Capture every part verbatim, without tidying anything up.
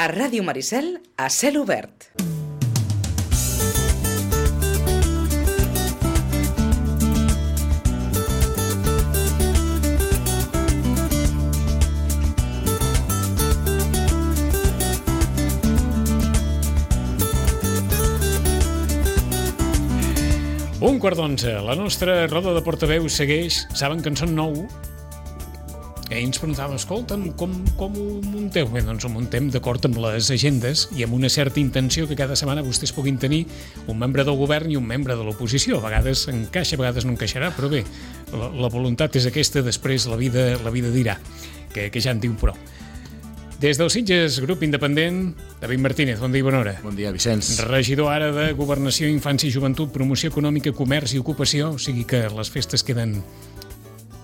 A Ràdio Maricel, a cel obert. Un quart d'onze. La nostra roda de portaveus segueix. Saben que en són nou. I ens preguntàvem, escolta'm, com, com ho munteu? Bé, doncs ho muntem d'acord amb les agendes i amb una certa intenció que cada setmana vostès puguin tenir un membre del govern i un membre de l'oposició. A vegades encaixa, a vegades no encaixarà, però bé, la, la voluntat és aquesta, després la vida, la vida dirà, que, que ja en diu prou. Des del Sitges, grup independent, David Martínez, bon dia i bona hora. Bon dia, Vicenç. Regidor ara de Governació, Infància i Joventut, Promoció Econòmica, Comerç i Ocupació, o sigui que les festes queden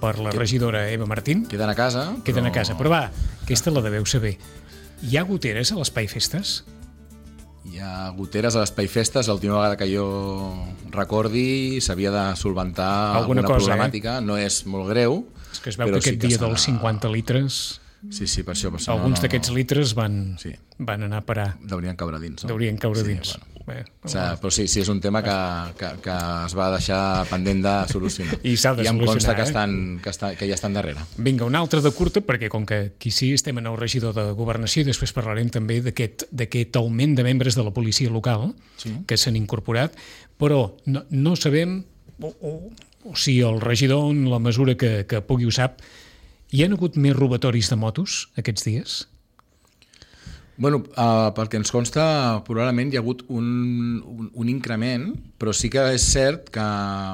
per la regidora Eva Martín. Queden a casa. Queden però... a casa, però va, aquesta la deveu saber. Hi ha goteres a l'Espai Festes? Hi ha goteres a l'Espai Festes. L'última vegada que jo recordi s'havia de solventar alguna, alguna cosa, problemàtica. Eh? No és molt greu. És que es veu que aquest sí dia que dels cinquanta litres... Sí, sí, per això. Per això alguns no, no, d'aquests no. litres van, sí. van anar a parar. Deurien caure dins, no? Deurien caure sí, dins. Bueno. Bé, o sigui, però sí, sí, és un tema que, que, que es va deixar pendent de solucionar. I s'ha de I em solucionar, consta que, eh? estan, que, està, que ja estan darrere. Vinga, una altra de curta, perquè com que aquí sí estem en el regidor de Governació i després parlarem també d'aquest augment de membres de la policia local sí. que s'han incorporat, però no, no sabem, o, o, o si el regidor, en la mesura que, que pugui ho sap, hi ha hagut més robatoris de motos aquests dies? Bueno, uh, pel que ens consta, probablement hi ha hagut un, un, un increment, però sí que és cert que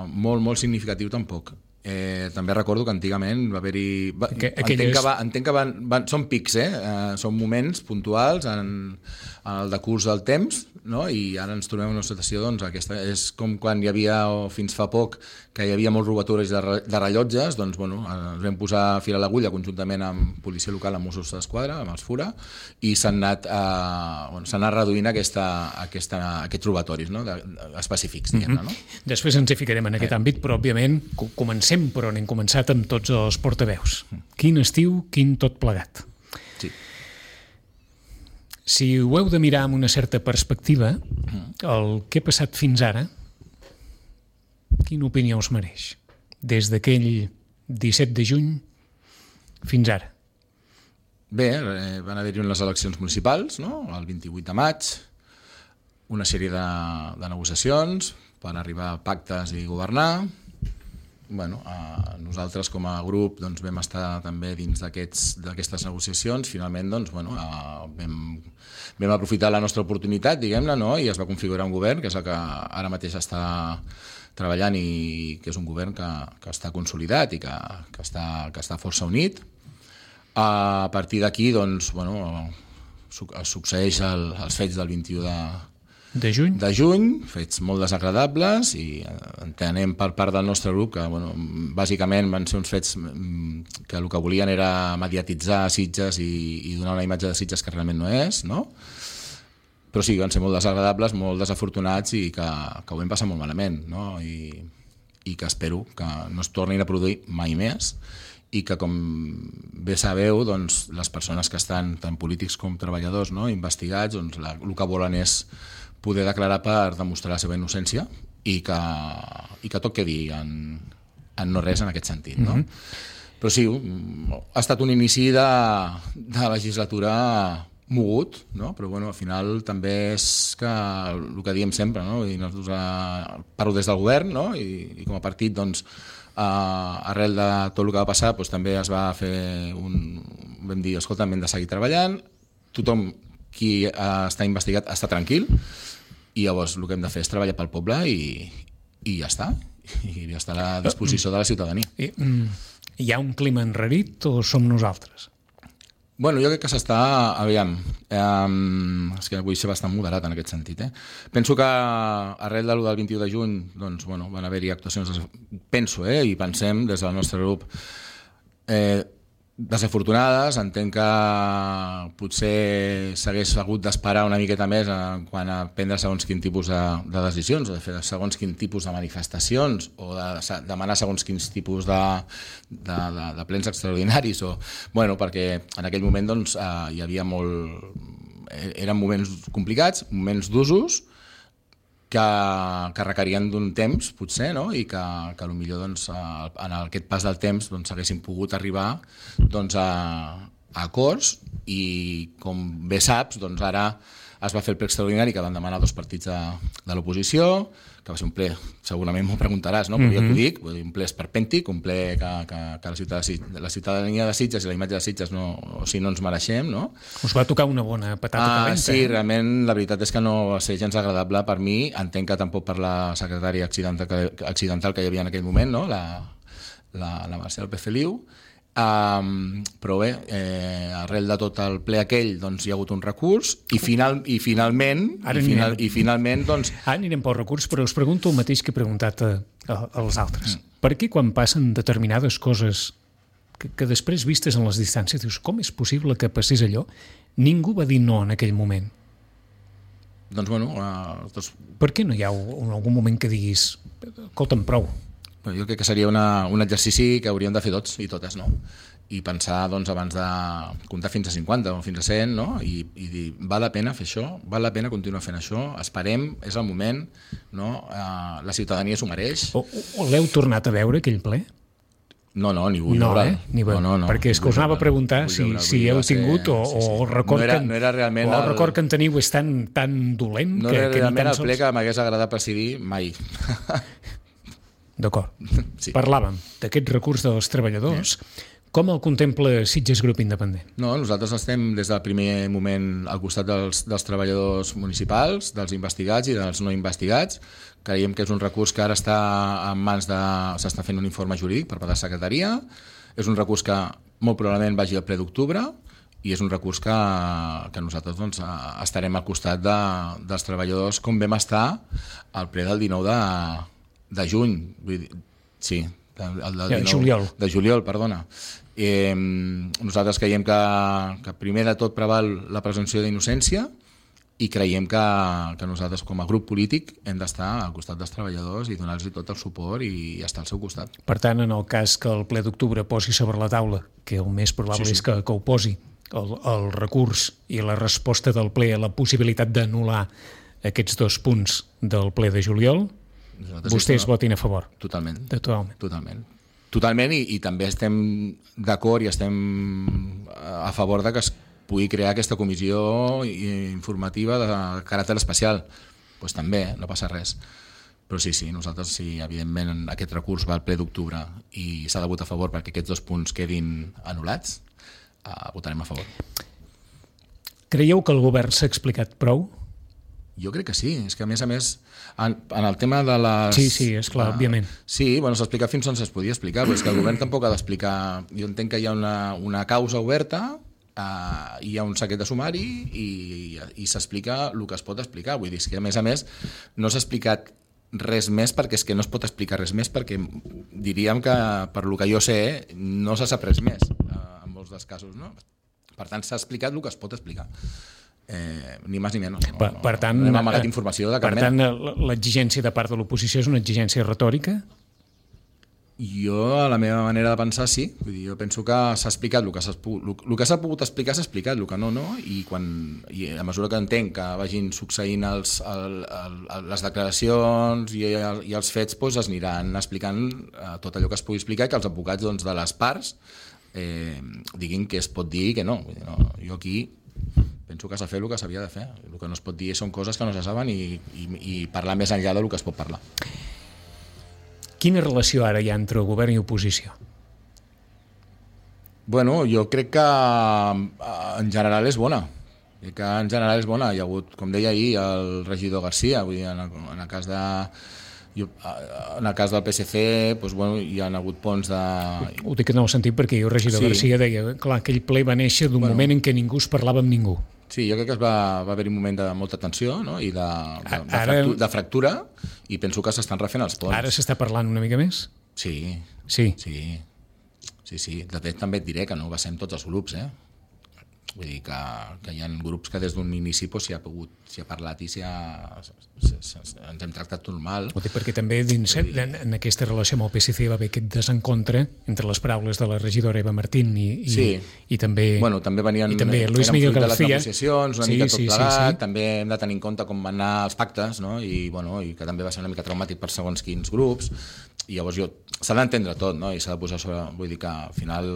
molt, molt significatiu tampoc. Eh, també recordo que antigament va haver-hi... Va, que, entenc, aquelles... que va, entenc que van, van, són pics, eh? Uh, són moments puntuals en, en el decurs del temps, no? I ara ens trobem en una situació, doncs, aquesta és com quan hi havia, o fins fa poc, que hi havia molts robatoris de, de rellotges, doncs, bueno, ens vam posar fil a l'agulla conjuntament amb policia local, amb Mossos d'Esquadra, amb els FURA, i s'han anat, eh, bueno, s'han anat reduint aquesta, aquesta, aquests robatoris, no? de, de, específics, diguem-ne, no? Mm-hmm. Després ens hi ficarem en aquest eh. àmbit, però, òbviament, comencem per on hem començat amb tots els portaveus. Quin estiu, quin tot plegat. Sí. Si ho heu de mirar amb una certa perspectiva, el que ha passat fins ara, quina opinió us mereix? Des d'aquell disset de juny fins ara. Bé, eh, van haver-hi unes eleccions municipals, no? El vint-i-vuit de maig, una sèrie de, de negociacions per arribar a pactes i governar. Bueno, eh, nosaltres com a grup doncs, vam estar també dins d'aquestes negociacions. Finalment doncs, bueno, eh, vam, vam aprofitar la nostra oportunitat, diguem-ne, no? I es va configurar un govern, que és el que ara mateix està treballant i que és un govern que, que està consolidat i que, que, està, que està força unit. A partir d'aquí doncs, bueno, succeeix el, els fets del vint-i-u de De juny? De juny, fets molt desagradables i entenem per part del nostre grup que bueno, bàsicament van ser uns fets que el que volien era mediatitzar Sitges i, i donar una imatge de Sitges que realment no és, no? Però sí, van ser molt desagradables, molt desafortunats i que, que ho vam passar molt malament, no? I, i que espero que no es tornin a produir mai més i que, com bé sabeu, doncs, les persones que estan, tant polítics com treballadors, no, investigats, doncs, la, el que volen és poder declarar per demostrar la seva innocència i que, i que tot quedi en, en no res en aquest sentit. No? Mm-hmm. Però sí, ha estat un inici de, de legislatura mogut, no? Però bueno, al final també és que el que diem sempre, no? I nosaltres eh, parlo des del govern, no? I, i com a partit, doncs, eh, arrel de tot el que va passar, doncs, també es va fer un... vam dir, escolta, hem de seguir treballant, tothom qui eh, està investigat està tranquil, i llavors el que hem de fer és treballar pel poble i, i ja està, i ja està a la disposició de la ciutadania. I, hi ha un clima enrarit o som nosaltres? Bueno, jo crec que s'està... Aviam, eh, és que vull ser bastant moderat en aquest sentit. Eh? Penso que arrel del vint-i-u de juny doncs, bueno, van haver-hi actuacions, penso, eh, i pensem des del nostre grup, eh, desafortunades. Entenc que potser s'hagués hagut d'esperar una miqueta més en quant a prendre segons quin tipus de, de decisions, o de fer segons quin tipus de manifestacions, o de demanar segons quins tipus de, de, de, de plens extraordinaris, o, bueno, perquè en aquell moment doncs, eh, hi havia molt, eren moments complicats, moments d'usos, que, que requerien d'un temps, potser, no? I que, que potser doncs, en aquest pas del temps doncs, haguessin pogut arribar doncs, a, a acords i, com bé saps, doncs, ara es va fer el ple extraordinari que van demanar dos partits de, de l'oposició, que va ser un ple, segurament m'ho preguntaràs, no? Però mm-hmm. jo t'ho dic, un ple esperpèntic, un ple que, que, que la, ciutadania, la ciutadania de Sitges i la imatge de Sitges no, o sigui, no ens mereixem, no? Us va tocar una bona patata ah, calenta. Sí, eh? Realment la veritat és que no va ser gens agradable per mi, entenc que tampoc per la secretària accidental que, accidental que hi havia en aquell moment, no? la, la, la Marcel P. Feliu. Um, però bé, eh, arrel de tot el ple aquell doncs hi ha hagut un recurs i, final, i finalment i, final, i finalment doncs... Ara anirem pel recurs, però us pregunto el mateix que he preguntat a, a, als altres. Mm. Per què quan passen determinades coses que, que després vistes en les distàncies dius, com és possible que passés allò? Ningú va dir no en aquell moment. Doncs bueno... Uh, doncs... Per què no hi ha un, algun moment que diguis escolta'm, prou? Jo crec que seria una, un exercici que hauríem de fer tots i totes, no? I pensar, doncs, abans de comptar fins a cinquanta o fins a cent, no? I, i dir, val la pena fer això? Val la pena continuar fent això? Esperem, és el moment, no? Uh, la ciutadania s'ho mereix. O, o l'heu tornat a veure, aquell ple? No, no, ni vull no, veure. Eh? Ni no, no, no. Perquè és que us anava a preguntar si, si heu tingut o, sí, sí. o el record, no era, que, no era realment o el record el... que en teniu és tan, tan dolent no que, era que realment ni tan el sols... ple que m'hagués agradat presidir mai. D'acord. Sí. Parlàvem d'aquest recurs dels treballadors. Sí. Com el contempla Sitges Grup Independent? No, nosaltres estem des del primer moment al costat dels, dels treballadors municipals, dels investigats i dels no investigats. Creiem que és un recurs que ara està en mans de... s'està fent un informe jurídic per part de la secretaria. És un recurs que molt probablement vagi al ple d'octubre i és un recurs que, que nosaltres doncs, estarem al costat de, dels treballadors com vam estar al ple del dinou de... de juny, vull dir, sí, el, el de dinou, juliol. De juliol, perdona. Eh, nosaltres creiem que, que primer de tot preval la presumpció d'innocència i creiem que, que nosaltres com a grup polític hem d'estar al costat dels treballadors i donar-los tot el suport i estar al seu costat. Per tant, en el cas que el ple d'octubre posi sobre la taula, que el més probable sí, sí. és que, que ho posi, el, el recurs i la resposta del ple a la possibilitat d'anul·lar aquests dos punts del ple de juliol, nosaltres vostès no, votin a favor. Totalment. De totalment. Totalment. Totalment i, i també estem d'acord i estem a favor de que es pugui crear aquesta comissió informativa de caràcter especial. Doncs pues també, no passa res. Però sí, sí, nosaltres, sí, evidentment, aquest recurs va al ple d'octubre i s'ha de votar a favor perquè aquests dos punts quedin anul·lats, uh, votarem a favor. Creieu que el govern s'ha explicat prou? Jo crec que sí, és que a més a més en, en el tema de les... Sí, sí, és clar, uh, òbviament. Sí, bueno, s'ha explicat fins on es podia explicar, però és que el govern tampoc ha d'explicar... Jo entenc que hi ha una, una causa oberta, uh, hi ha un secret de sumari i, i, i s'explica el que es pot explicar. Vull dir, que a més a més no s'ha explicat res més perquè és que no es pot explicar res més perquè diríem que, per lo que jo sé, no s'ha sap res més uh, en molts dels casos, no? Per tant, s'ha explicat el que es pot explicar. Eh, ni més ni menys. No, per, per tant, no hem amagat informació de cap per tant, l'exigència de part de l'oposició és una exigència retòrica? Jo, a la meva manera de pensar, sí. Vull dir, jo penso que s'ha explicat el que s'ha el que s'ha pogut explicar, s'ha explicat, el que no, no, i, quan, i a mesura que entenc que vagin succeint els, el, el, les declaracions i, el, i els fets, doncs es aniran explicant eh, tot allò que es pugui explicar i que els advocats doncs, de les parts eh, diguin què es pot dir i què no. Vull dir, no. Jo aquí penso que s'ha fet el que s'havia de fer. El que no es pot dir són coses que no se saben i, i, i parlar més enllà del que es pot parlar. Quina relació ara hi ha entre govern i oposició? Bueno, jo crec que en general és bona. Crec que en general és bona. Hi ha hagut, com deia ahir, el regidor Garcia, vull dir, en el, en el cas de... Jo, en el cas del P S C doncs, bueno, hi ha hagut ponts de... Ho dic en el sentit perquè jo, regidor sí. Garcia, deia clar, aquell ple va néixer d'un bueno, moment en què ningú es parlava amb ningú. Sí, jo crec que es va, va haver un moment de molta tensió, no? I de, de, de, ara, fractura, de fractura i penso que s'estan refent els ponts. Ara s'està parlant una mica més? Sí. Sí? Sí, sí, sí. De fet, també et diré que no ho va ser amb tots els grups, eh? vull dir que, que hi ha grups que des d'un inici pues, s'hi ha pogut, s'hi ha parlat i s'hi ha, ens hem tractat normal. Ho dic perquè també dins, en, en aquesta relació amb el P S C va haver aquest desencontre entre les paraules de la regidora Eva Martín i, i, sí. i també... Bueno, també venien, i també Luis Miguel fruit de García. Les negociacions, una sí, mica tot sí, plegat, sí, sí. també hem de tenir en compte com van anar els pactes, no? I, bueno, i que també va ser una mica traumàtic per segons quins grups, i llavors jo, s'ha d'entendre tot, no? I s'ha de posar sobre, vull dir que al final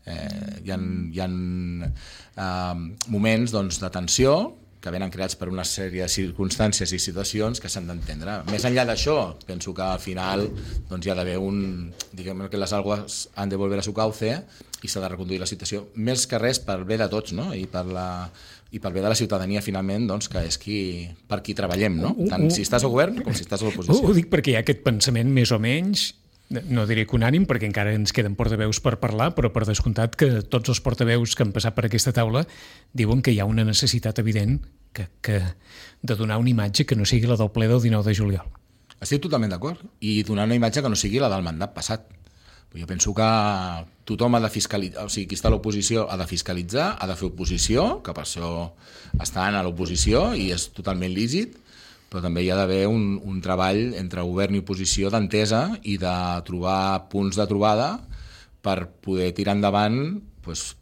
eh, hi ha, hi ha eh, moments doncs, de tensió que venen creats per una sèrie de circumstàncies i situacions que s'han d'entendre. Més enllà d'això, penso que al final doncs, hi ha d'haver un... diguem que les aguas han de volver a su cauce i s'ha de reconduir la situació. Més que res per bé de tots, no? I per la... i per bé de la ciutadania, finalment, doncs, que és qui, per qui treballem, no? Tant si estàs al govern com si estàs a l'oposició. Ho dic perquè hi ha aquest pensament més o menys, no diré que unànim, perquè encara ens queden portaveus per parlar, però per descomptat que tots els portaveus que han passat per aquesta taula diuen que hi ha una necessitat evident que, que de donar una imatge que no sigui la del ple del dinou de juliol. Estic totalment d'acord. I donar una imatge que no sigui la del mandat passat. Jo penso que tothom ha de fiscalitzar, o sigui, qui està a l'oposició ha de fiscalitzar, ha de fer oposició, que per això estan a l'oposició i és totalment lícit, però també hi ha d'haver un, un treball entre govern i oposició d'entesa i de trobar punts de trobada per poder tirar endavant pues,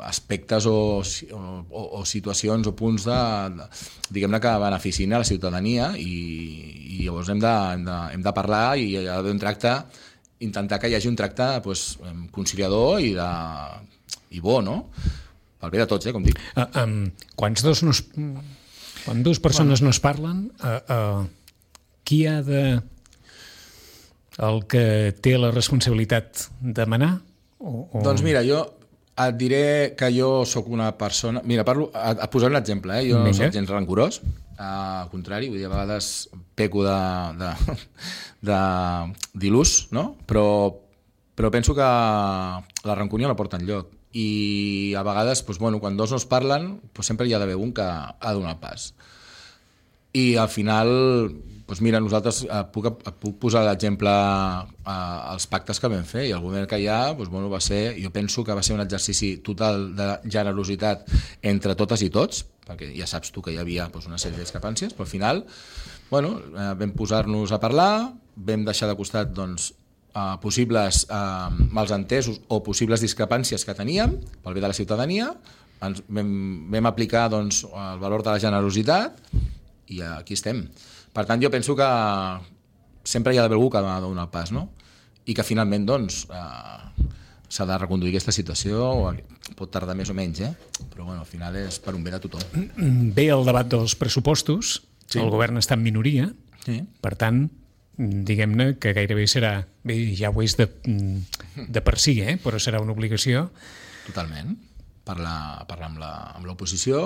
aspectes o, o, o situacions o punts de, de, diguem-ne que beneficien a la ciutadania i, i llavors hem de, hem, de, hem de parlar i hi ha d'haver un tracte, intentar que hi hagi un tracte pues, conciliador i, de, i bo, no? Pel bé de tots, eh, com dic. Uh, um, quants dos no es... Quan dues persones bueno. no es parlen, uh, uh, qui ha de... el que té la responsabilitat de manar? O, o... Doncs mira, jo et diré que jo sóc una persona... Mira, parlo, et, et posaré un exemple, eh? Jo no soc gens rancorós, al contrari, vull dir, a vegades peco de, de, de d'il·lús, no? Però, però penso que la rancúnia no porta enlloc. I a vegades, doncs, bueno, quan dos no es parlen, doncs sempre hi ha d'haver un que ha de donar el pas. I al final, doncs mira, nosaltres eh, puc, puc posar l'exemple eh, als pactes que vam fer, i el govern que hi ha doncs, bueno, va ser, jo penso que va ser un exercici total de generositat entre totes i tots, perquè ja saps tu que hi havia doncs, una sèrie de discrepàncies, però al final bueno, eh, vam posar-nos a parlar, vam deixar de costat doncs, Uh, possibles uh, malsentesos o possibles discrepàncies que teníem pel bé de la ciutadania, ens vam, vam aplicar doncs, el valor de la generositat i aquí estem. Per tant, jo penso que sempre hi ha d'haver algú que ha de donar el pas, no? I que finalment doncs, uh, s'ha de reconduir aquesta situació, pot tardar més o menys, eh? Però bueno, al final és per un bé de tothom. Ve el debat dels pressupostos, sí. El govern està en minoria, sí. Per tant, diguem-ne que gairebé serà, bé, ja ho és de, de per si, eh? Però serà una obligació. Totalment. Parlar, parlar amb, la, amb l'oposició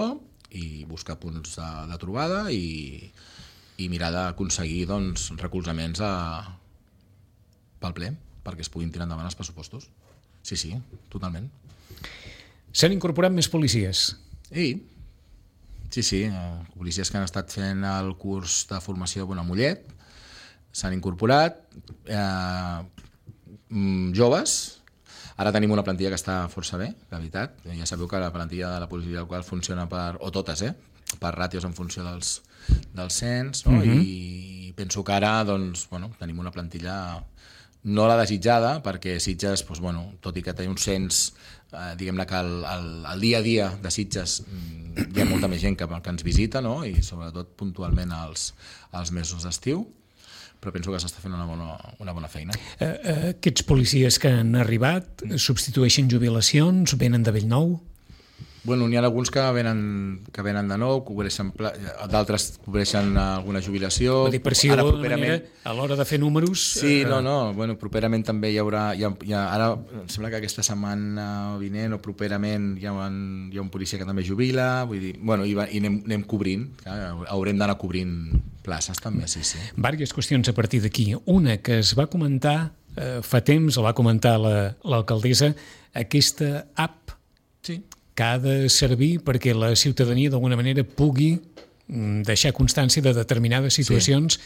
i buscar punts de, de trobada i, i mirar d'aconseguir doncs, recolzaments a, pel ple perquè es puguin tirar endavant els pressupostos. Sí, sí, totalment. S'han incorporat més policies? Sí, sí, sí. Policies que han estat fent el curs de formació a Mollet, s'han incorporat eh, joves. Ara tenim una plantilla que està força bé, la veritat. Ja sabeu que la plantilla de la policia local funciona per, o totes, eh, per ràtios en funció dels, dels cens, no? Uh-huh. I penso que ara doncs, bueno, tenim una plantilla no la desitjada, perquè Sitges, doncs, bueno, tot i que té un cens, eh, diguem-ne que el, el, el dia a dia de Sitges hi ha molta més gent que, que ens visita, no? I sobretot puntualment als, als mesos d'estiu, però penso que s'està fent una bona, una bona feina. Uh, aquests policies que han arribat substitueixen jubilacions, venen de Bellnou? Bueno, n'hi ha alguns que venen, que venen de nou, cobreixen, d'altres cobreixen alguna jubilació. Vull dir, per si ara, properament, manera, a l'hora de fer números... Sí, eh... no, no, bueno, properament també hi haurà... Hi ha, hi ha, ara em sembla que aquesta setmana vinent o properament hi ha un, hi ha un policia que també jubila, vull dir, bueno, i, va, i anem, anem cobrint, clar, haurem d'anar cobrint places també, sí, sí. Vàries qüestions a partir d'aquí. Una que es va comentar eh, fa temps, el va comentar la, l'alcaldessa, aquesta app sí. que ha de servir perquè la ciutadania d'alguna manera pugui deixar constància de determinades situacions sí.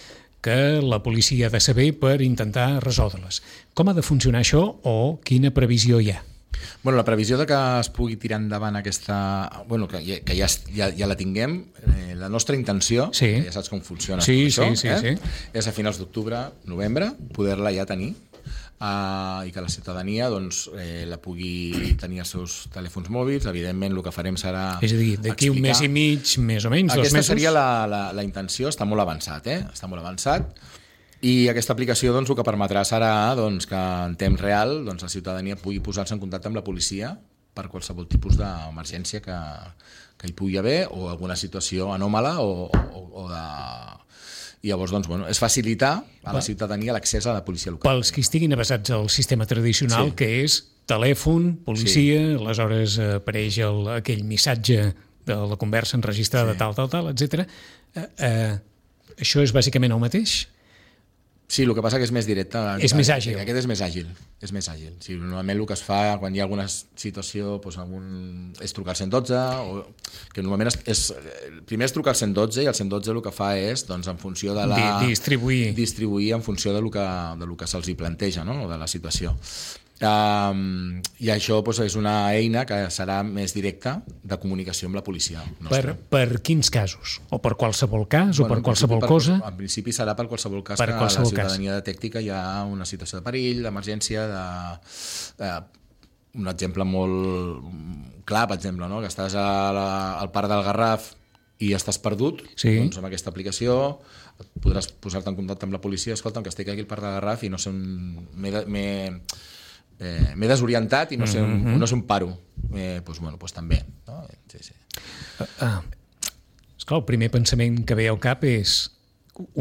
que la policia ha de saber per intentar resoldre-les. Com ha de funcionar això o quina previsió hi ha? Bueno, la previsió de que es pugui tirar endavant aquesta... Bueno, que, que ja, ja, ja la tinguem, eh, la nostra intenció, sí. que ja saps com funciona sí, això, sí, sí, eh? sí. és a finals d'octubre, novembre, poder-la ja tenir, uh, i que la ciutadania doncs, eh, la pugui tenir als seus telèfons mòbils. Evidentment, el que farem serà És a dir, d'aquí un mes i mig, més o menys, Aquesta dos mesos... Aquesta seria la, la, la intenció, està molt avançat, eh? Està molt avançat. I aquesta aplicació doncs, el que permetrà serà doncs, que en temps real doncs, la ciutadania pugui posar-se en contacte amb la policia per qualsevol tipus d'emergència que, que hi pugui haver o alguna situació anòmala o, o, o de... I llavors doncs, bueno, és facilitar a la ciutadania l'accés a la policia local. Pels que estiguin avasats al sistema tradicional, sí. que és telèfon, policia, sí. aleshores apareix el, aquell missatge de la conversa enregistrada, sí. tal, tal, tal, etcètera. Eh, eh, això és bàsicament el mateix? Sí, el que passa que és més directe. És més àgil. Aquest és més àgil. És més àgil. Sí, normalment el que es fa quan hi ha alguna situació doncs, algun... és trucar al cent i dotze, o... que normalment és, és... primer és trucar al cent i dotze i el cent i dotze el que fa és, doncs, en funció de la... Distribuir. Distribuir en funció de lo que, de lo que se'ls hi planteja, no? O de la situació. Um, I això doncs, és una eina que serà més directa de comunicació amb la policia nostra. Per, per quins casos? O per qualsevol cas? Bueno, o per qualsevol per, cosa? En principi serà per qualsevol cas per que qualsevol la ciutadania cas. detecti que hi ha una situació de perill, d'emergència, de, de, un exemple molt clar, per exemple, no? Que estàs a la, al parc del Garraf i estàs perdut, sí. doncs amb aquesta aplicació podràs posar-te en contacte amb la policia. Escolta, que estic aquí al parc del Garraf i no sé on... m'he Eh, m'he desorientat i no sé, mm-hmm. no sé on paro. Eh, doncs, bueno, doncs també. No? Sí, sí. Uh, uh, esclar, el primer pensament que ve al cap és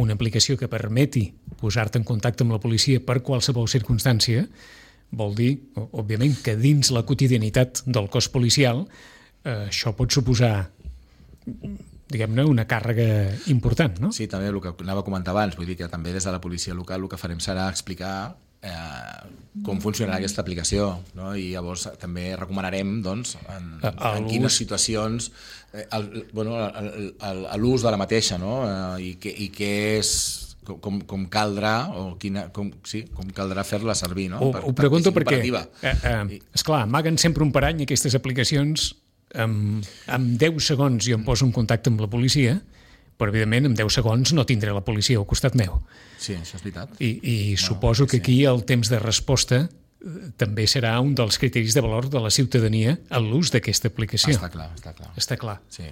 una aplicació que permeti posar-te en contacte amb la policia per qualsevol circumstància. Vol dir, òbviament, que dins la quotidianitat del cos policial eh, això pot suposar diguem-ne, una càrrega important, no? Sí, també el que anava a comentar abans, vull dir que també des de la policia local el que farem serà explicar eh, com funcionarà aquesta aplicació, no? I llavors també recomanarem doncs, en, en quines situacions eh, el, bueno, l'ús de la mateixa, no? Eh, i, que, i què és com, com caldrà o quina, com, sí, com caldrà fer-la servir, no? Ho, per, ho pregunto perquè, eh, eh, I... esclar, amaguen sempre un parany aquestes aplicacions. Amb, amb deu segons jo em poso en contacte amb la policia, però evidentment en deu segons no tindré la policia al costat meu. Sí, això és veritat. I, i bueno, suposo que aquí el temps de resposta també serà un dels criteris de valor de la ciutadania en l'ús d'aquesta aplicació. Està clar, està clar. Està clar. Sí.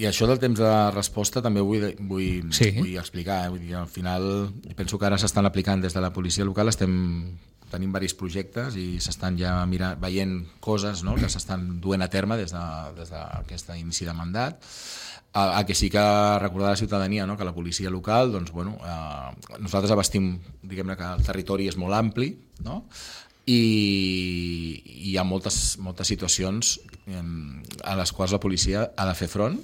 I això del temps de resposta també vull, vull, sí. vull explicar. Eh? Vull dir, al final, penso que ara s'estan aplicant des de la policia local, estem... tenim diversos projectes i s'estan ja mirant, veient coses, no? Que s'estan duent a terme des d'aquest de, inici de mandat. A, a que sí que recordar a la ciutadania, no? Que la policia local, doncs, bueno, eh, nosaltres abastim, diguem-ne que el territori és molt ampli, no? I, i hi ha moltes, moltes situacions eh, a les quals la policia ha de fer front,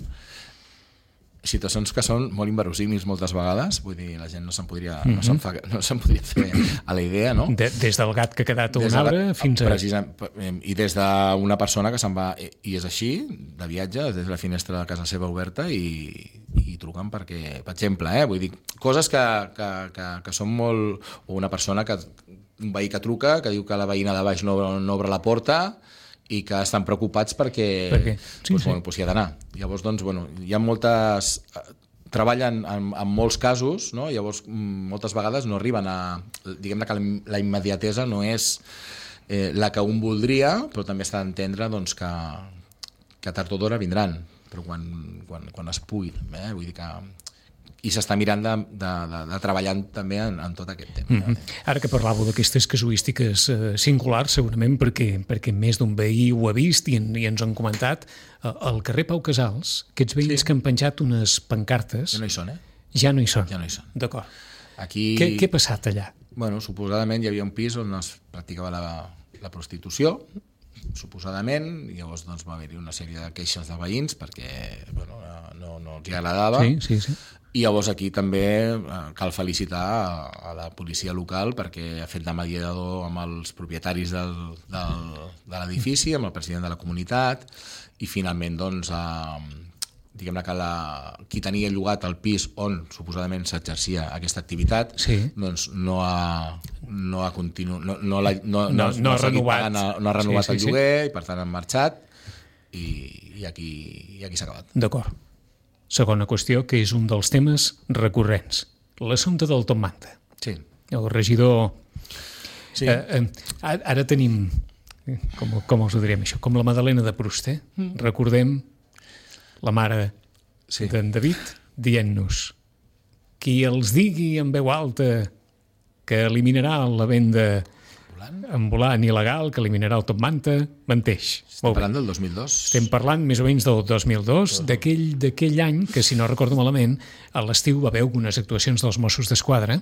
situacions que són molt inverosímils moltes vegades, vull dir, la gent no se'n podria, mm-hmm. no se'n fa, no se'n podria fer a la idea, no? De, des del gat que ha quedat a un arbre fins a... Precisa, i des d'una persona que se'n va, i és així, de viatge, des de la finestra de casa seva oberta i, i truquen perquè, per exemple, eh, vull dir, coses que, que, que, que són molt... O una persona que, un veí que truca, que diu que la veïna de baix no, no obre la porta i que estan preocupats perquè per què? Sí, doncs, sí. Bueno, doncs hi ha d'anar. Llavors, doncs, bueno, hi ha moltes... Treballen en, en molts casos, no? Llavors moltes vegades no arriben a... Diguem-ne que la immediatesa no és eh, la que un voldria, però també està d'entendre doncs, que, que tard o d'hora vindran, però quan, quan, quan es pugui. Eh? Vull dir que... I s'està mirant de, de, de, de treballar també en, en tot aquest temps. Mm-hmm. Ara que parlàveu d'aquestes casuístiques eh, singulars, segurament perquè, perquè més d'un veí ho ha vist i, en, i ens han comentat, eh, al carrer Pau Casals, aquests veïns sí. que han penjat unes pancartes... Ja no hi són, eh? Ja no hi són. Ja no hi són. D'acord. Aquí... Què, què ha passat allà? Bueno, suposadament hi havia un pis on es practicava la, la prostitució, suposadament, i llavors doncs, va haver-hi una sèrie de queixes de veïns perquè bueno, no, no els agradava. Sí, sí, sí. I llavors aquí també cal felicitar a, a la policia local perquè ha fet de mediador amb els propietaris del, del, de l'edifici, amb el president de la comunitat, i finalment doncs, ha, diguem-ne que la, qui tenia llogat el pis on suposadament s'exercia aquesta activitat, sí. doncs no ha, no ha continu, no, no, la, no, no, no, no, no, ha renovat, pagant, no ha renovat sí, sí, el lloguer sí. i per tant han marxat i, i aquí, i aquí s'ha acabat. D'acord. Segona qüestió, que és un dels temes recurrents, l'assumpte del Top Manta. Sí. El regidor... Sí. Eh, eh, ara tenim, com, com us ho diríem això, com la Madalena de Proust, eh? Mm. Recordem la mare sí. d'en David dient-nos qui els digui en veu alta que eliminarà la venda ambulant il·legal, que eliminarà el Top Manta, menteix. Estem parlant del dos mil dos? Estem parlant més o menys del dos mil dos, oh. d'aquell, d'aquell any que, si no recordo malament, a l'estiu va haver algunes actuacions dels Mossos d'Esquadra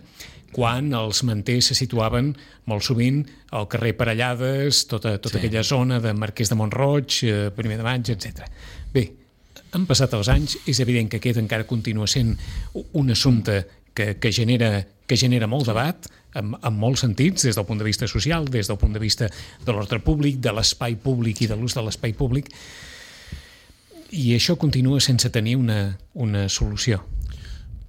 quan els manters se situaven molt sovint al carrer Parellades, tota, tota sí. aquella zona de Marquès de Mont-roig, primer de maig, etcètera. Bé, han passat els anys, és evident que aquest encara continua sent un assumpte que, que, genera, que genera molt debat, en, en molts sentits, des del punt de vista social, des del punt de vista de l'ordre públic, de l'espai públic i de l'ús de l'espai públic, i això continua sense tenir una, una solució.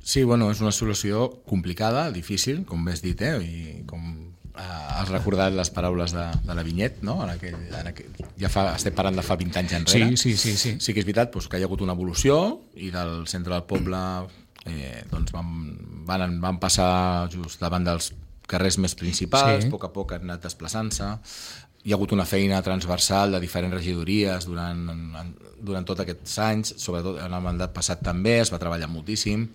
Sí, bueno, és una solució complicada, difícil, com bé has dit, eh? I com has recordat les paraules de, de la Vinyet, no? En aquell, en aquell, ja fa, estem parlant de fa vint anys enrere. Sí, sí, sí. Sí, sí que és veritat doncs, que hi ha hagut una evolució i del centre del poble eh, doncs van, van, van passar just davant dels carrers més principals, sí. a poc a poc han anat desplaçant-se. Hi ha hagut una feina transversal de diferents regidories durant, durant tots aquests anys, sobretot en el mandat passat també, es va treballar moltíssim.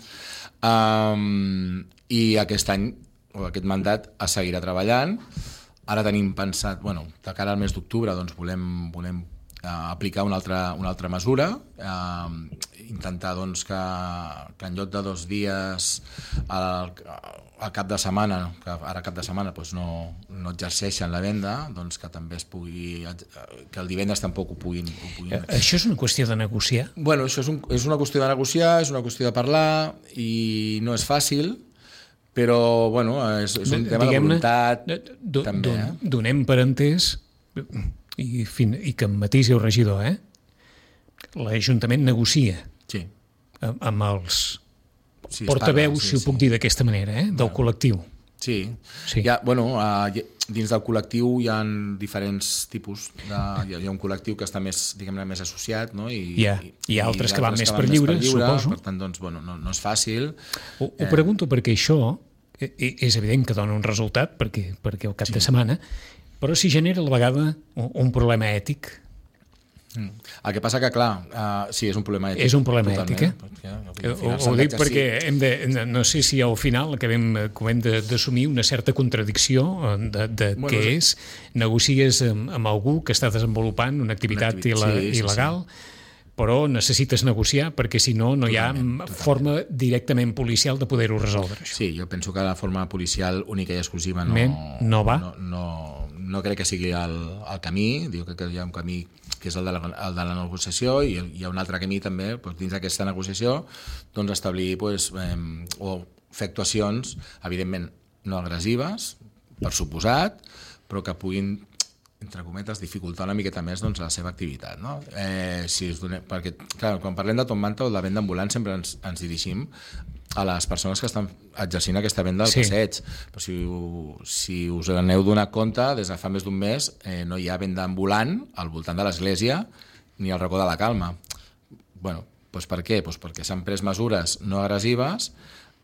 Um, I aquest any, o aquest mandat, es seguirà treballant. Ara tenim pensat, bueno, de cara al mes d'octubre, doncs volem, volem uh, aplicar una altra, una altra mesura, uh, intentar doncs, que, que en lloc de dos dies al, al cap de setmana, que ara cap de setmana doncs no, no exerceixen la venda, doncs que també es pugui, que el divendres tampoc ho puguin, ho puguin... Això és una qüestió de negociar? Bueno, això és, un, és una qüestió de negociar, és una qüestió de parlar i no és fàcil, però bueno, és, és un tema de voluntat do, també. Don, Eh? Donem per entès, i, fin, i que em matisi el regidor, eh? l'Ajuntament negocia sí. amb, amb els sí, portaveus, sí, si ho puc sí. dir d'aquesta manera, eh? del bueno. col·lectiu. Sí, sí. Hi ha, bueno, uh, dins del col·lectiu hi ha diferents tipus, de, hi, ha, hi ha un col·lectiu que està més, diguem-ne, més associat, no? I, hi ha, i, hi ha altres i que van més que per lliure, lliure, suposo. Per tant, doncs, bueno, no, no és fàcil. Ho, ho pregunto perquè això és evident que dona un resultat, perquè, perquè al cap sí. de setmana, però si genera a la vegada un, un problema ètic. Mm. El que passa que, clar, uh, sí, és un problema ètic. És un problema ètic, eh? Perquè, ho, ho dic perquè hem de, no sé si al final acabem, hem d'assumir una certa contradicció de, de bueno, què és. Negocies amb, amb algú que està desenvolupant una activitat, una activitat il·la, sí, il·legal, sí, sí. però necessites negociar perquè si no, no totalment, hi ha totalment. forma directament policial de poder-ho resoldre. Això. Sí, jo penso que la forma policial única i exclusiva no, Men, no va. No, no, no crec que sigui el, el camí, diu que hi ha un camí que és el de la, el de la negociació i hi ha un altre camí també doncs, dins d'aquesta negociació doncs, establir doncs, eh, o fer actuacions evidentment no agressives, per suposat, però que puguin entre cometes, dificultar una miqueta més doncs, la seva activitat. No? Eh, si us donem, perquè, clar, quan parlem de Top Manta o de venda ambulant sempre ens, ens dirigim a les persones que estan exercint aquesta venda al sí. passeig. Però si, si us n'heu donat compte, des de fa més d'un mes eh, no hi ha venda ambulant al voltant de l'església ni al racó de la Calma. Bueno, doncs per què? Doncs perquè s'han pres mesures no agressives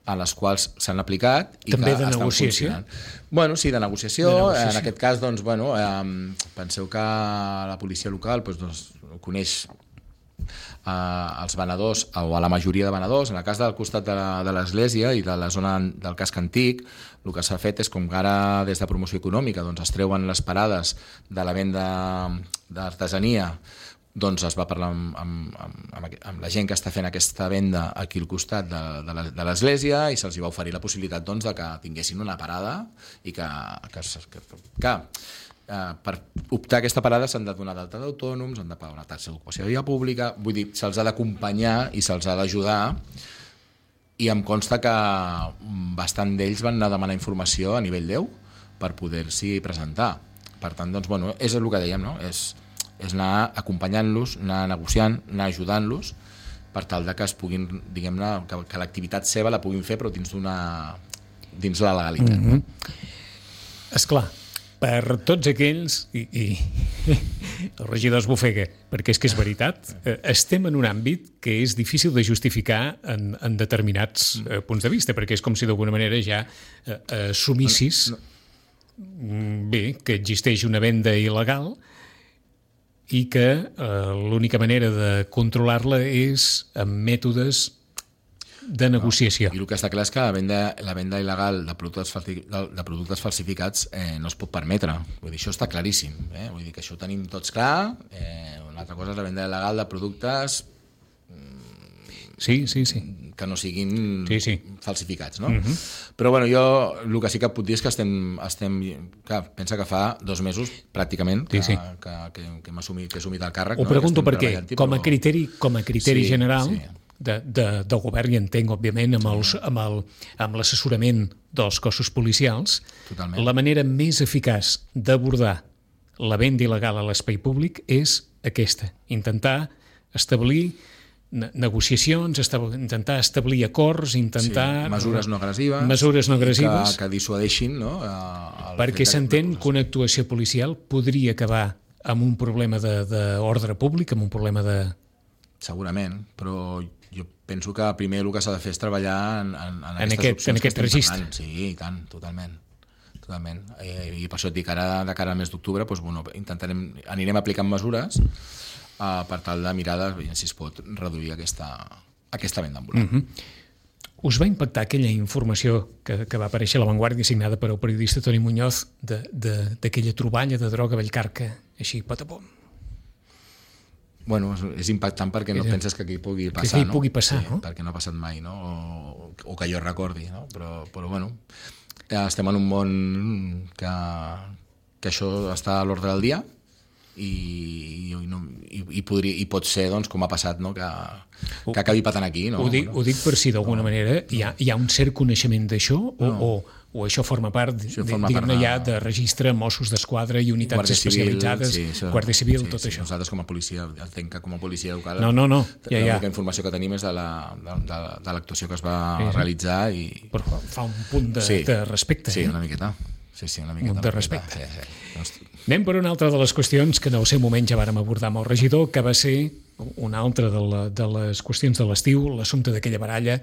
a les quals s'han aplicat i també que de estan negociació? funcionant. Bueno, sí, de negociació. de negociació. En aquest cas, doncs, bueno, eh, penseu que la policia local doncs, doncs, coneix eh, els venedors, o a la majoria de venedors. En el cas del costat de l'església i de la zona del casc antic, el que s'ha fet és com que ara des de promoció econòmica doncs, es treuen les parades de la venda d'artesania, doncs es va parlar amb, amb, amb, amb la gent que està fent aquesta venda aquí al costat de, de, de l'església i se'ls va oferir la possibilitat doncs, de que tinguessin una parada i que, que, que, que eh, per optar a aquesta parada s'han de donar d'alta d'autònoms, han de pagar una taxa d'ocupació de via pública, vull dir, se'ls ha d'acompanyar i se'ls ha d'ajudar i em consta que bastant d'ells van anar a demanar informació a nivell deu per poder-s'hi presentar. Per tant, doncs, bueno, és el que dèiem, no? És és anar acompanyant-los, anar negociant, anar ajudant-los per tal de que es puguin, diguem-ne, que, que l'activitat seva la puguin fer, però dins d'una dins la legalitat. Mm-hmm. Esclar, per tots aquells, i, i el regidor es bofega, perquè és que és veritat, estem en un àmbit que és difícil de justificar en, en determinats eh, punts de vista, perquè és com si d'alguna manera ja eh, assumissis no, no. bé, que existeix una venda il·legal i que eh, l'única manera de controlar-la és amb mètodes de negociació. No. I el que està clar és que la venda, la venda il·legal de productes, falsi, de, de productes falsificats eh, no es pot permetre. Vull dir, això està claríssim. Eh? Vull dir que això ho tenim tots clar. Eh, una altra cosa és la venda il·legal de productes sí, sí, sí. que no siguin sí, sí. falsificats. No? Uh-huh. Però bueno, jo el que sí que puc dir és que estem... estem clar, pensa que fa dos mesos, pràcticament, que, sí, sí. que, que, que hem assumit, que he assumit el càrrec. Ho pregunto no? perquè, com a criteri, com a criteri sí, general... Sí. De, de, del govern, i entenc, òbviament, amb, els, amb, el, amb l'assessorament dels cossos policials, totalment. La manera més eficaç d'abordar la venda il·legal a l'espai públic és aquesta, intentar establir negociacions, estab- intentar establir acords, intentar... Sí, mesures no agressives. Mesures no agressives. Que, que dissuadeixin, no? Perquè s'entén que una actuació policial podria acabar amb un problema d'ordre públic, amb un problema de... Segurament, però jo penso que primer el que s'ha de fer és treballar en, en, en, en aquest, opcions en aquest registre. Parlant. Sí, i tant, totalment. totalment. I, i per això et dic, ara de cara al mes d'octubre doncs, bueno, intentarem, anirem aplicant mesures uh, per tal de mirar de, si es pot reduir aquesta, aquesta venda ambulant. Mm-hmm. Us va impactar aquella informació que, que va aparèixer a La Vanguardia signada per el periodista Toni Muñoz d'aquella troballa de droga a Vallcarca, així, patapom? Bueno, és impactant perquè no penses que aquí pugui passar, que aquí no? pugui passar, sí, no? Perquè no ha passat mai, no? O, o que jo recordi, no? Però, però bueno, ja estem en un món que, que això està a l'ordre del dia i, i, no, i, i, podria, i pot ser, doncs, com ha passat, no? Que, que acabi patant aquí, no? Ho dic, no? ho dic per si d'alguna no, manera hi ha, hi ha un cert coneixement d'això o, no. o, o això forma part, diguem-ne, ja de registre Mossos d'Esquadra i unitats Guàrdia especialitzades, Civil, sí, això, Guàrdia Civil, sí, tot sí, això. Nosaltres com a policia, entenc que com a policia local, no, no, no, ja, ja. l'única informació que tenim és de l'actuació que es va sí, sí. realitzar i... Però fa un punt de, sí, de respecte. Sí, eh? una miqueta. Sí, sí, una miqueta. Un de respecte. Sí, sí. Anem per una altra de les qüestions que en el seu moment ja vàrem abordar amb el regidor, que va ser una altra de, la, de les qüestions de l'estiu, l'assumpte d'aquella baralla,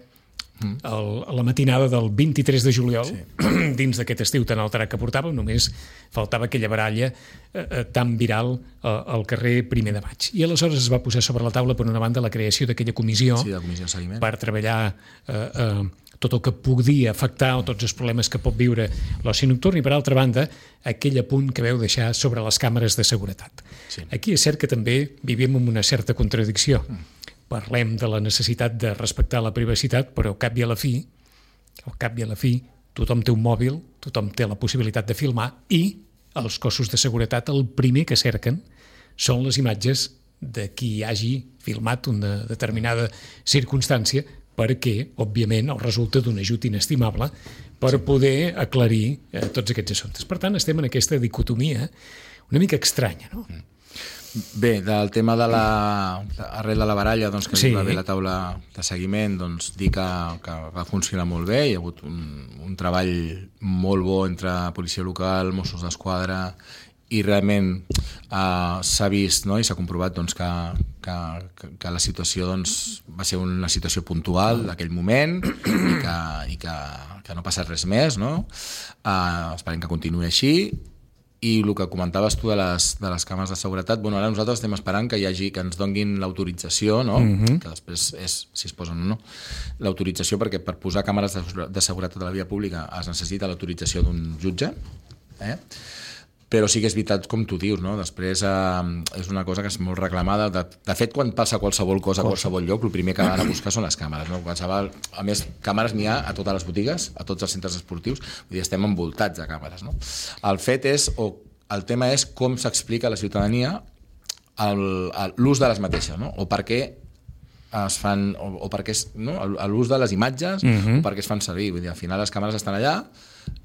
mm. el, la matinada del vint-i-tres de juliol, sí. dins d'aquest estiu tan alterat que portàvem, només faltava aquella baralla eh, tan viral eh, al carrer primer de maig. I aleshores es va posar sobre la taula, per una banda, la creació d'aquella comissió, sí, la comissió de seguiment, per treballar eh, eh, tot el que podia afectar o tots els problemes que pot viure l'oci nocturn i, per altra banda, aquell apunt que veu deixar sobre les càmeres de seguretat. Sí. Aquí és cert que també vivim en una certa contradicció. Mm. Parlem de la necessitat de respectar la privacitat, però al cap i a la fi, al cap i a la fi, tothom té un mòbil, tothom té la possibilitat de filmar i els cossos de seguretat el primer que cerquen són les imatges de qui hagi filmat una determinada circumstància perquè, òbviament, el resulta d'un ajut inestimable per poder aclarir eh, tots aquests assumptes. Per tant, estem en aquesta dicotomia una mica estranya, no? Bé, del tema de la... arrel de la baralla, doncs, que sí. va haver la taula de seguiment, doncs, dir que, que va funcionar molt bé, hi ha hagut un, un treball molt bo entre policia local, Mossos d'Esquadra, i realment eh, s'ha vist, no? I s'ha comprovat doncs, que, que, que la situació doncs, va ser una situació puntual d'aquell moment i, que, i que, que no ha passat res més, no? Eh, esperem que continuï així. I el que comentaves tu de les, de les càmeres de seguretat, bueno, ara nosaltres estem esperant que hi hagi, que ens donguin l'autorització, no? Mm-hmm. Que després és si es posen o no, l'autorització, perquè per posar càmeres de, de seguretat a la via pública es necessita l'autorització d'un jutge, eh? Però sí que és veritat, com tu dius, no? Després eh, és una cosa que és molt reclamada. De, de fet, quan passa qualsevol cosa a qualsevol lloc, el primer que van a buscar són les càmeres, no? Qualsevol, a més, càmeres n'hi ha a totes les botigues, a tots els centres esportius, vull dir, estem envoltats de càmeres, no? El fet és, o el tema és com s'explica a la ciutadania l'ús de les mateixes, no? O per què es fan, o, o perquè és, no? l'ús de les imatges, uh-huh. o perquè es fan servir. Vull dir, al final les càmeres estan allà.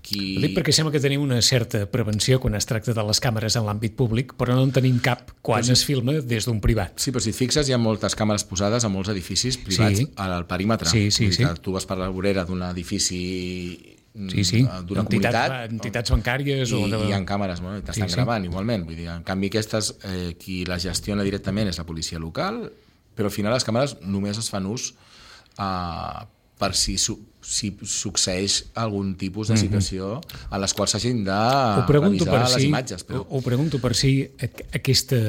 Qui... Dic perquè sembla que tenim una certa prevenció quan es tracta de les càmeres en l'àmbit públic, però no en tenim cap quan sí. es filma des d'un privat. Sí, però si et fixes, hi ha moltes càmeres posades a molts edificis privats sí. al perímetre. Sí, sí, sí. Tu vas per la vorera d'un edifici sí, sí. d'una entitats, comunitat entitats bancàries i, o de... i hi ha càmeres, bueno, t'estan sí, gravant sí. igualment. Vull dir, en canvi aquestes, eh, qui les gestiona directament és la policia local, però al final les càmeres només es fan ús uh, per si, su, si succeeix algun tipus de situació mm-hmm. en les quals s'hagin de revisar les si, imatges. Però... Ho, ho pregunto per si aquesta,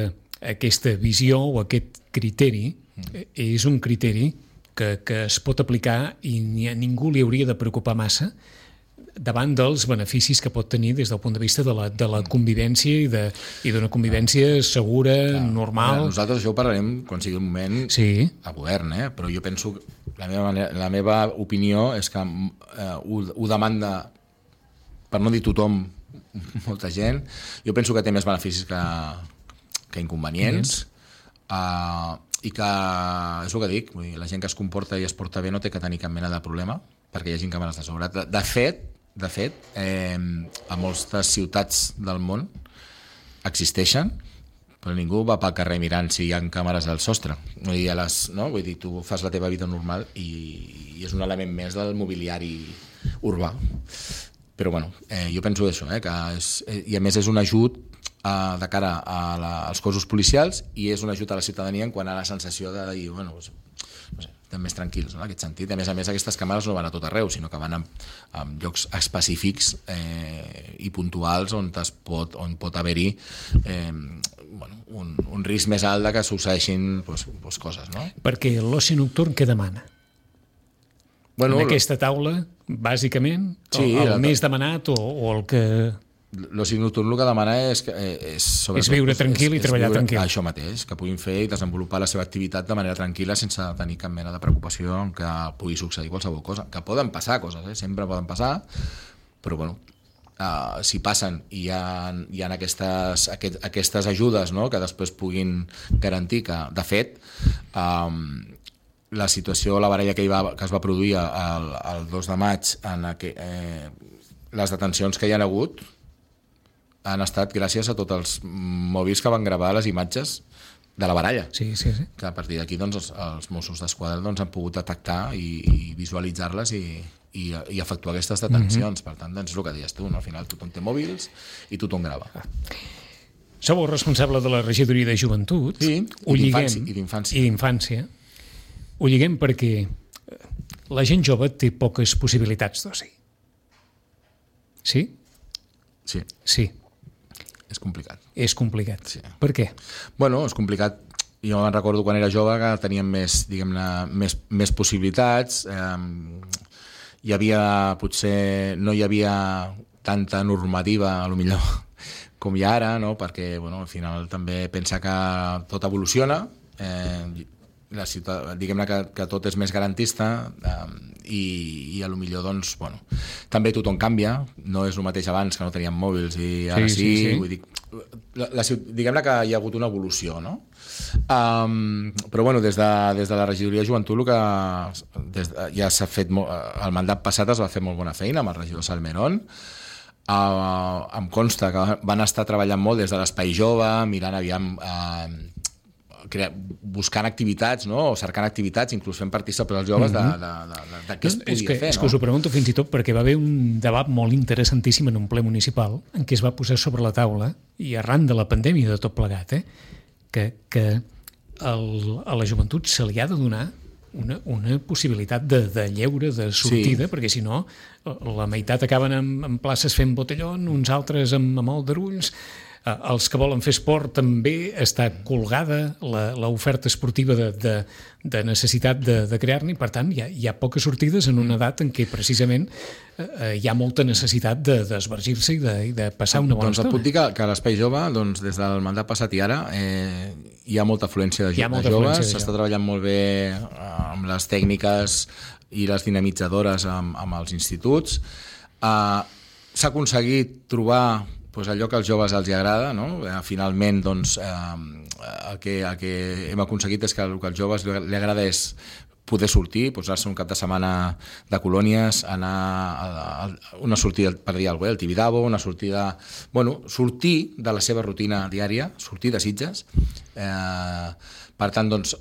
aquesta visió o aquest criteri mm. és un criteri que, que es pot aplicar i ni a ningú li hauria de preocupar massa davant dels beneficis que pot tenir des del punt de vista de la, de la convivència i, de, i d'una convivència segura, clar, normal. Nosaltres això ho parlarem quan sigui el moment sí. a govern, eh? Però jo penso que la meva, manera, la meva opinió és que eh, ho, ho demanda, per no dir tothom, molta gent. Jo penso que té més beneficis que, que inconvenients. Uh, i que, és el que dic, vull dir, la gent que es comporta i es porta bé no té que tenir cap mena de problema perquè hi hagi càmeres de sobre. De, de fet, de fet eh, a moltes ciutats del món existeixen, però ningú va pel carrer mirant si hi ha càmeres al sostre. Vull dir, a les, no? Vull dir, tu fas la teva vida normal i, i és un element més del mobiliari urbà. Però bueno, eh, jo penso això, eh, que és, eh, i a més és un ajut eh, de cara a la, als cossos policials i és un ajut a la ciutadania en quant a la sensació de dir, bueno, doncs, no sé, estem més tranquils, no? En aquest sentit. A més a més, aquestes càmeres no van a tot arreu, sinó que van a, a llocs específics eh, i puntuals on, es pot, on pot haver-hi eh, bueno, un, un risc més alt de que succeeixin pues, pues, coses, no? Perquè l'oci nocturn què demana? Bueno, en aquesta taula, bàsicament, sí, el, el més demanat o, o el que... L'oci nocturn el que demana és, és, és viure tranquil és, i treballar viure, tranquil. Això mateix, que puguin fer i desenvolupar la seva activitat de manera tranquil·la sense tenir cap mena de preocupació en que pugui succeir qualsevol cosa. Que poden passar coses, eh? Sempre poden passar, però bueno, uh, si passen i hi ha, hi ha aquestes, aquest, aquestes ajudes, no? Que després puguin garantir que, de fet, um, la situació, la baralla que, hi va, que es va produir el, el dos de maig, en aqu... eh, les detencions que hi ha hagut han estat gràcies a tots els mòbils que van gravar les imatges de la baralla. Sí, sí, sí. Que a partir d'aquí doncs, els, els Mossos d'Esquadra doncs, han pogut detectar i, i visualitzar-les i, i, i efectuar aquestes detencions. Mm-hmm. Per tant, doncs, és el que deies tu, no? Al final tothom té mòbils i tothom grava. Ah. Sou el responsable de la regidoria de joventut. Sí, i d'infància. I d'infància. Ho lliguem perquè la gent jove té poques possibilitats d'oci. Sí? Sí. Sí. És complicat. És complicat. Sí. Per què? Bueno, és complicat. Jo me'n recordo quan era jove que teníem més, diguem-ne, més, més possibilitats. Eh, hi havia, potser, no hi havia tanta normativa, a lo millor, com hi ha ara, no? Perquè, bueno, al final també pensa que tot evoluciona, eh, la ciutat, diguem-ne que, que tot és més garantista eh, i, i a lo millor doncs, bueno, també tothom canvia, no és el mateix abans que no teníem mòbils i ara sí, sí, sí, sí. Vull dir, la, la, diguem-ne que hi ha hagut una evolució, no? Um, però bueno, des de, des de la regidoria de joventut el que des de, ja s'ha fet molt, el mandat passat es va fer molt bona feina amb el regidor Salmerón. Uh, em consta que van estar treballant molt des de l'espai jove, mirant aviam uh, crea, buscant activitats, no? O cercant activitats, inclús fent partícips els joves mm-hmm. de, de, de, de què es podia és que, fer. És no? que us ho pregunto fins i tot perquè va haver un debat molt interessantíssim en un ple municipal en què es va posar sobre la taula, i arran de la pandèmia de tot plegat, eh, que, que el, a la joventut se li ha de donar una, una possibilitat de, de lleure, de sortida, sí. Perquè si no la meitat acaben en, en places fent botellón, uns altres amb, amb aldarulls. Els que volen fer esport també està colgada l'oferta esportiva de, de, de necessitat de, de crear-ne, per tant hi ha, hi ha poques sortides en una edat en què precisament eh, hi ha molta necessitat d'esvergir-se i, de, i de passar una bona doncs estona. Et puc dir que, que a l'Espai Jove, doncs, des del mandat passat i ara, eh, hi ha molta afluència de, jo, de joves, s'està treballant molt bé amb les tècniques i les dinamitzadores amb, amb els instituts. Eh, s'ha aconseguit trobar doncs allò que als joves els agrada, no? Eh, finalment, doncs, eh, el, que, el que hem aconseguit és que el que als joves li, li agrada és poder sortir, posar-se un cap de setmana de colònies, anar a, a, a una sortida, per dir alguna cosa, al Tibidabo, una sortida... Bueno, sortir de la seva rutina diària, sortir de Sitges. Eh, per tant, doncs,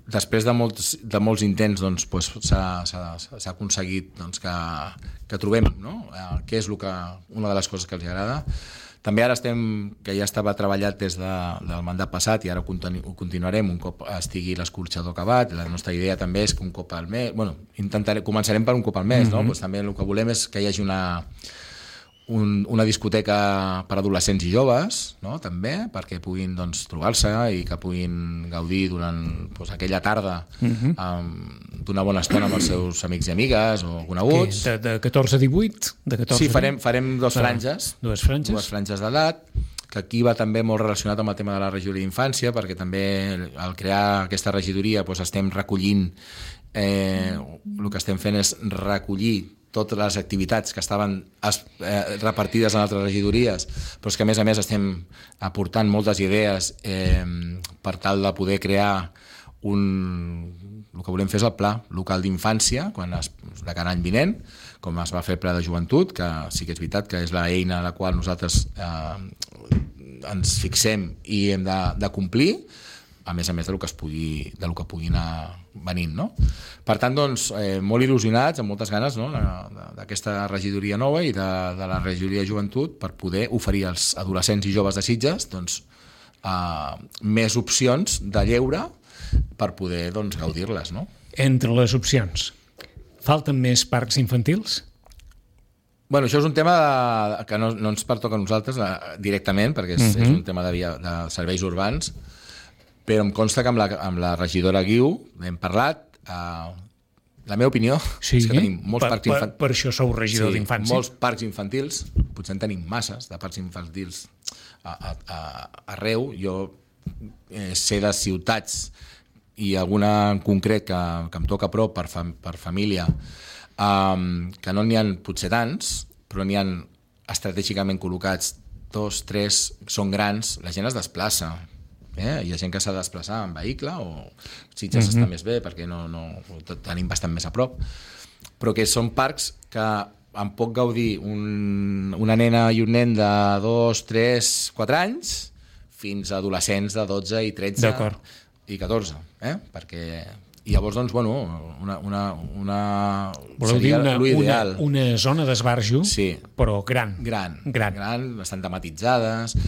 després de molts, de molts intents, doncs, pues, s'ha, s'ha, s'ha aconseguit doncs, que, que trobem, no? Eh, què és el que, una de les coses que els agrada. També ara estem, que ja estava treballat des de, del mandat passat i ara ho, continu, ho continuarem un cop estigui l'escorxador acabat. La nostra idea també és que un cop al mes, bueno, intentaré, començarem per un cop al mes, mm-hmm. no? Pues també el que volem és que hi hagi una, un, una discoteca per adolescents i joves, no? També, perquè puguin doncs, trobar-se i que puguin gaudir durant pues, aquella tarda mm-hmm. um, d'una bona estona amb els seus amics i amigues o coneguts. De, de catorze a divuit? De catorze sí, farem, farem dos franges, ah, dues franges, dues franges d'edat, que aquí va també molt relacionat amb el tema de la regidoria d'infància, perquè també al crear aquesta regidoria doncs, estem recollint, eh, el que estem fent és recollir totes les activitats que estaven es, eh, repartides en altres regidories, però és que a més a més estem aportant moltes idees eh, per tal de poder crear un... El que volem fer és el pla local d'infància, quan es, de cada any vinent, com es va fer el pla de joventut, que sí que és veritat que és l'eina a la qual nosaltres eh, ens fixem i hem de, de complir, a més a més del que es pugui, del que pugui anar venint, no? Per tant, doncs, eh, molt il·lusionats, amb moltes ganes, no?, d'aquesta regidoria nova i de, de la regidoria de joventut per poder oferir als adolescents i joves de Sitges doncs, eh, més opcions de lleure per poder doncs, gaudir-les, no? Entre les opcions, falten més parcs infantils? Bueno, això és un tema de, que no, no ens pertoca a nosaltres eh, directament, perquè és, uh-huh. és un tema de, via, de serveis urbans, però em consta que amb la, amb la regidora Guiu hem parlat. Eh, la meva opinió sí, és que tenim molts per, parcs infantils. Per, per això sou regidor sí, d'infància. Molts parcs infantils, potser en tenim masses de parcs infantils a, a, a, arreu. Jo eh, sé de ciutats i alguna en concret que, que em toca a prop per, fam, per família, um, que no n'hi ha potser tants, però n'hi ha estratègicament col·locats dos, tres, són grans, la gent es desplaça, eh? Hi ha gent que s'ha de desplaçar en vehicle o Sitges mm-hmm. està més bé perquè no, no, tenim bastant més a prop, però que són parcs que en pot gaudir un, una nena i un nen de dos, tres, quatre anys fins a adolescents de dotze i tretze D'acord. I catorze, eh? Perquè i llavors, doncs, bueno, una, una, una seria una, l'ideal. Una, una zona d'esbarjo, sí. però gran. Gran, gran. gran, bastant tematitzades.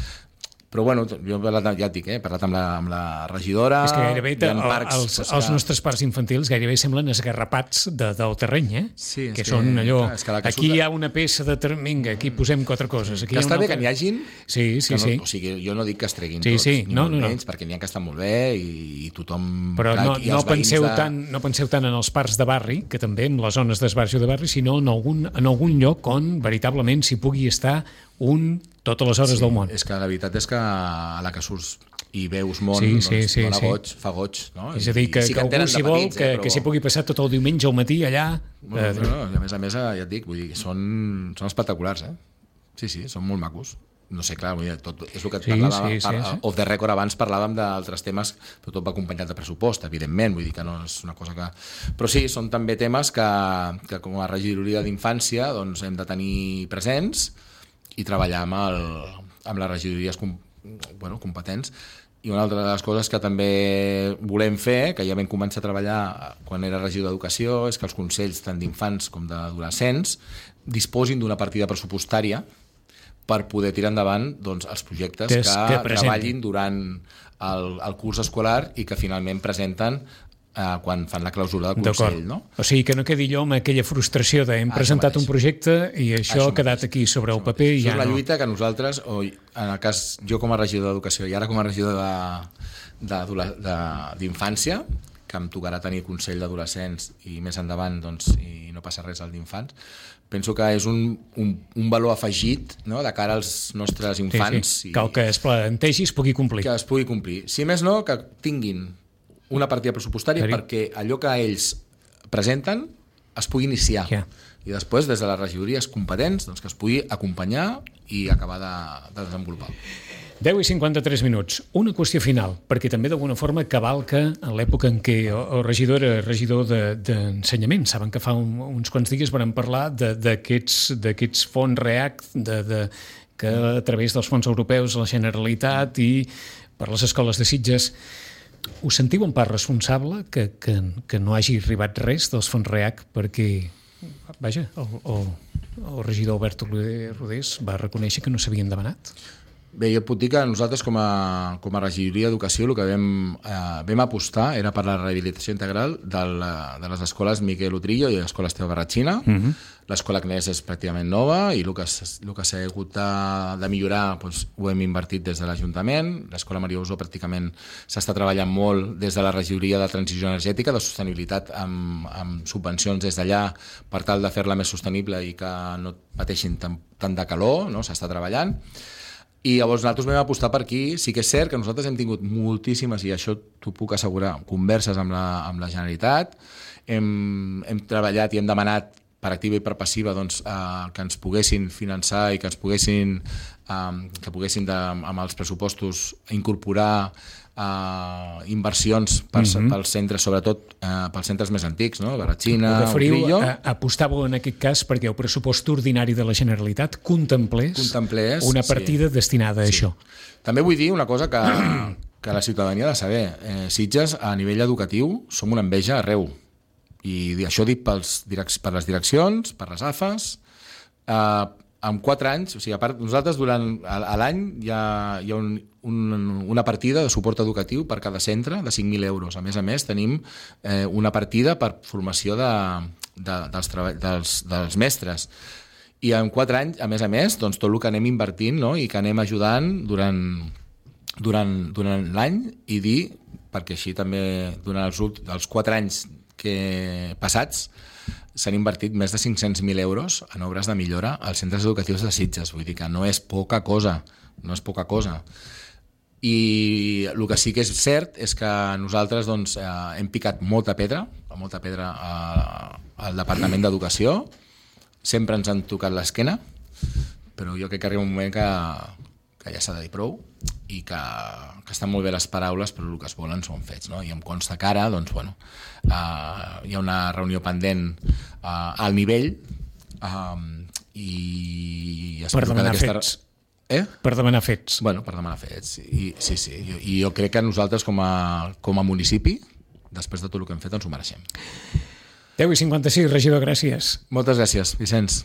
Però bueno, jo ja et dic, eh, he parlat amb la, amb la regidora... És que gairebé el, parcs, els, pues, els que... nostres parcs infantils gairebé semblen esgarrapats de, del terreny, eh? Sí, que, que és són que, allò... Clar, és que aquí hi ha una peça de... Ter... Vinga, aquí posem quatre coses. Aquí que està bé altra... que n'hi hagin... Sí, sí, no, sí. O sigui, jo no dic que es treguin sí, tots, sí. ni no, molt no, no. menys, perquè n'hi ha que estan molt bé i, i tothom... Però clar, no, no, penseu de... tant, no penseu tant en els parcs de barri, que també en les zones d'esbarjo de barri, sinó en algun, en algun lloc on veritablement s'hi pugui estar un totes les hores sí, del món. És que la veritat és que a la que surts i veus món, sí, doncs, sí, sí, dona sí. goig, fa goig. No? És a dir, que, sí que, que algú s'hi vol, petits, que, eh, però... que s'hi pugui passar tot el diumenge al matí allà... Bueno, eh, no, no, a més a més, ja et dic, vull dir, són, són espectaculars, eh? Sí, sí, són molt macos. No sé, clar, vull dir, tot, és el que et sí, parlava, sí, par, sí, sí. off the record abans parlàvem d'altres temes, però tot va acompanyat de pressupost, evidentment, vull dir que no és una cosa que... Però sí, són també temes que, que com a regidoria d'infància doncs, hem de tenir presents i treballar amb, el, amb les regidories com, bueno, competents. I una altra de les coses que també volem fer, que ja vam començar a treballar quan era regidor d'Educació, és que els consells tant d'infants com d'adolescents disposin d'una partida pressupostària per poder tirar endavant doncs, els projectes que, que treballin durant el, el curs escolar i que finalment presenten eh, quan fan la clausura del Consell. No? O sigui, que no quedi allò amb aquella frustració de hem ah, presentat un projecte i això, això ha quedat mateix. Aquí sobre el paper i ja no. Això és la lluita que nosaltres, o en el cas jo com a regidor d'Educació i ara com a regidor d'infància, que em tocarà tenir Consell d'Adolescents i més endavant doncs, i no passa res al d'infants, penso que és un, un, un valor afegit, no?, de cara als nostres infants. Sí, sí. Que el que es plantegi es pugui complir. Que es pugui complir. Si més no, que tinguin una partida pressupostària Cari. perquè allò que ells presenten es pugui iniciar. Yeah. I després, des de les regidories competents, doncs, que es pugui acompanyar i acabar de, de desenvolupar. deu i cinquanta-tres minuts. Una qüestió final, perquè també d'alguna forma cavalca en l'època en què el regidor era regidor d'ensenyament. Saben que fa un, uns quants dies vam parlar d'aquests fons REACT, de, de, que a través dels fons europeus la Generalitat i per les escoles de Sitges. Us sentiu en part responsable que, que, que no hagi arribat res dels fons REACT perquè, vaja, el, el, el regidor Albert Rodés va reconèixer que no s'havien demanat? Bé, jo et puc dir que nosaltres com a, com a regidoria d'Educació el que vam, eh, vam apostar era per la rehabilitació integral de, la, de les escoles Miquel Utrillo i l'escola Esteve Barratxina. Uh-huh. L'escola Agnès és pràcticament nova i el que, el que s'ha hagut de, de millorar doncs, ho hem invertit des de l'Ajuntament. L'escola Maria Usó pràcticament s'està treballant molt des de la regidoria de transició energètica, de sostenibilitat amb, amb subvencions des d'allà per tal de fer-la més sostenible i que no pateixin tant, tant de calor, no? S'està treballant. I llavors nosaltres vam apostar per aquí. Sí que és cert que nosaltres hem tingut moltíssimes, i això t'ho puc assegurar, converses amb la, amb la Generalitat. Hem, hem treballat i hem demanat per activa i per passiva doncs, eh, que ens poguessin finançar i que ens poguessin, eh, que poguessin de, amb els pressupostos incorporar Uh, inversions pels, mm-hmm. pels centres, sobretot uh, pels centres més antics, no? Barratxina, Utrillo. Apostàveu en aquest cas perquè el pressupost ordinari de la Generalitat contemplés, contemplés una partida sí. destinada a sí. això. També vull dir una cosa que, que la ciutadania ha de saber. Eh, Sitges, a nivell educatiu, som una enveja arreu. I això dic pels direc- per les direccions, per les A F As. Eh, en quatre anys, o sigui, a part, nosaltres durant a l'any hi ha, hi ha un, un, una partida de suport educatiu per cada centre de cinc mil euros. A més a més, tenim eh, una partida per formació de, de, dels, treball, dels, dels mestres. I en quatre anys, a més a més, doncs, tot el que anem invertint, no? I que anem ajudant durant, durant, durant l'any i dir, perquè així també durant els, els quatre anys que passats s'han invertit més de cinc-cents mil euros en obres de millora als centres educatius de Sitges. Vull dir que no és poca cosa, no és poca cosa. I el que sí que és cert és que nosaltres doncs, eh, hem picat molta pedra, molta pedra a, al Departament d'Educació, sempre ens han tocat l'esquena, però jo crec que arriba un moment que, que ja s'ha de dir prou i que, que estan molt bé les paraules, però el que es volen són fets, no? I em consta que ara, doncs, bueno, uh, hi ha una reunió pendent uh, al nivell uh, i... Per demanar fets. Eh? Per demanar fets. Bueno, per demanar fets. I, sí, sí. I, I jo crec que nosaltres, com a, com a municipi, després de tot el que hem fet, ens ho mereixem. deu i cinquanta-sis, regidor, gràcies. Moltes gràcies, Vicenç.